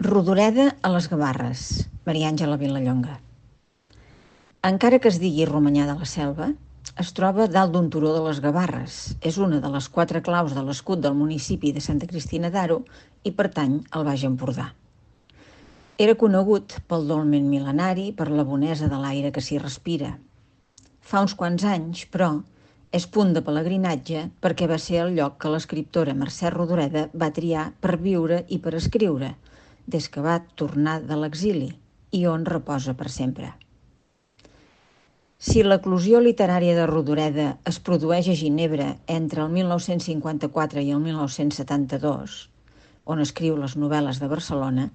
Rodoreda a les Gavarres, Maria Àngela Vilallonga. Encara que es digui Romanyà de la Selva, es troba dalt d'un turó de les Gavarres. És una de les 4 claus de l'escut del municipi de Santa Cristina d'Aro i pertany al Baix Empordà. Era conegut pel dolmen mil·lenari, per la bonesa de l'aire que s'hi respira. Fa uns quants anys, però, és punt de pelegrinatge perquè va ser el lloc que l'escriptora Mercè Rodoreda va triar per viure i per escriure, des que va tornar de l'exili i on reposa per sempre. Si l'eclosió literària de Rodoreda es produeix a Ginebra entre el 1954 i el 1972, on escriu les novel·les de Barcelona,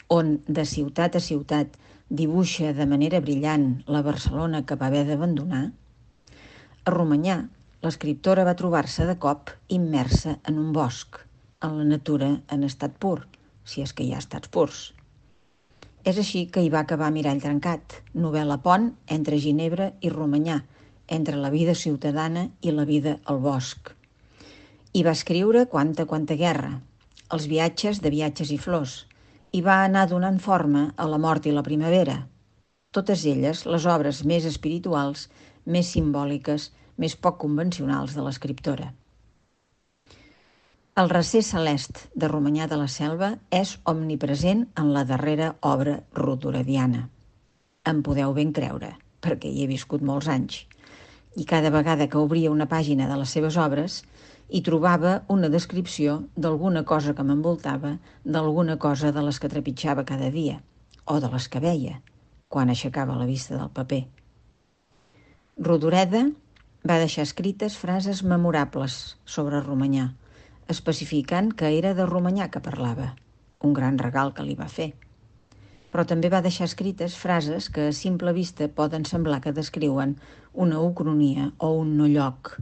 on de ciutat a ciutat dibuixa de manera brillant la Barcelona que va haver d'abandonar, a Romanyà l'escriptora va trobar-se de cop immersa en un bosc, en la natura en estat pur, si és que hi ha estats purs. És així que hi va acabar Mirall trencat, novel·la pont entre Ginebra i Romanyà, entre la vida ciutadana i la vida al bosc. Hi va escriure quanta guerra, els viatges de viatges i flors, i va anar donant forma a La mort i la primavera. Totes elles les obres més espirituals, més simbòliques, més poc convencionals de l'escriptora. El recer celest de Romanyà de la Selva és omnipresent en la darrera obra rodorediana. Em podeu ben creure, perquè hi he viscut molts anys. I cada vegada que obria una pàgina de les seves obres, hi trobava una descripció d'alguna cosa que m'envoltava, d'alguna cosa de les que trepitjava cada dia, o de les que veia, quan aixecava la vista del paper. Rodoreda va deixar escrites frases memorables sobre Romanyà, especificant que era de Romanyà que parlava, un gran regal que li va fer. Però també va deixar escrites frases que a simple vista poden semblar que descriuen una ucronia o un no lloc,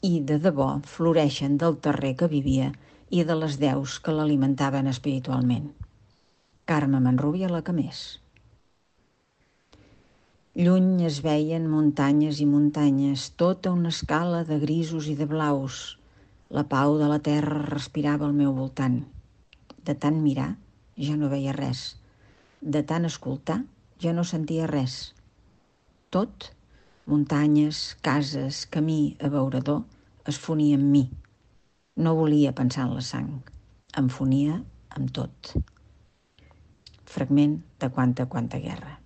i de debò floreixen del terrer que vivia i de les deus que l'alimentaven espiritualment. Carme Manrubia, la que més. Lluny es veien muntanyes i muntanyes, tota una escala de grisos i de blaus. La pau de la terra respirava al meu voltant. De tant mirar, ja no veia res. De tant escoltar, ja no sentia res. Tot, muntanyes, cases, camí, abeurador, es fonia amb mi. No volia pensar en la sang. Em fonia amb tot. Fragment de Quanta guerra.